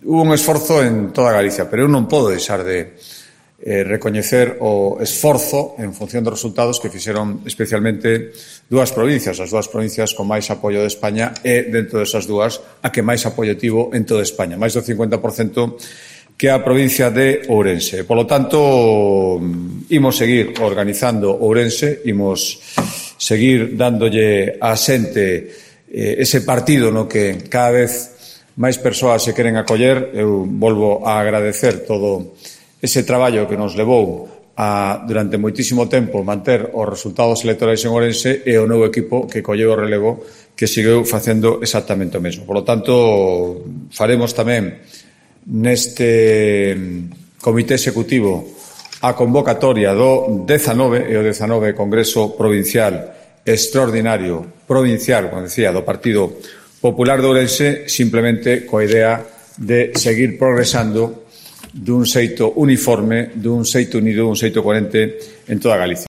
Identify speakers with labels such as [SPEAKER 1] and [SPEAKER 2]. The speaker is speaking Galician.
[SPEAKER 1] hubo un esforzo en toda Galicia, pero eu non podo deixar de recoñecer o esforzo en función dos resultados que fixeron especialmente dúas provincias, as dúas provincias con máis apoio de España e dentro desas dúas a que máis apoio tivo en toda España, máis do 50% que a provincia de Ourense. Por lo tanto, imos seguir organizando Ourense, imos seguir dándolle a xente ese partido no que cada vez máis persoas se queren acoller. Eu volvo a agradecer todo ese traballo que nos levou a, durante moitísimo tempo, manter os resultados electorais en Ourense e o novo equipo que colleu o relevo que seguiu facendo exactamente o mesmo. Por lo tanto, faremos tamén neste comité executivo a convocatoria do 19 e o 19 Congreso Provincial Extraordinario Provincial, como decía, do Partido Popular de Ourense, simplemente coa idea de seguir progresando dun xeito uniforme, dun xeito unido, dun xeito coherente en toda Galicia.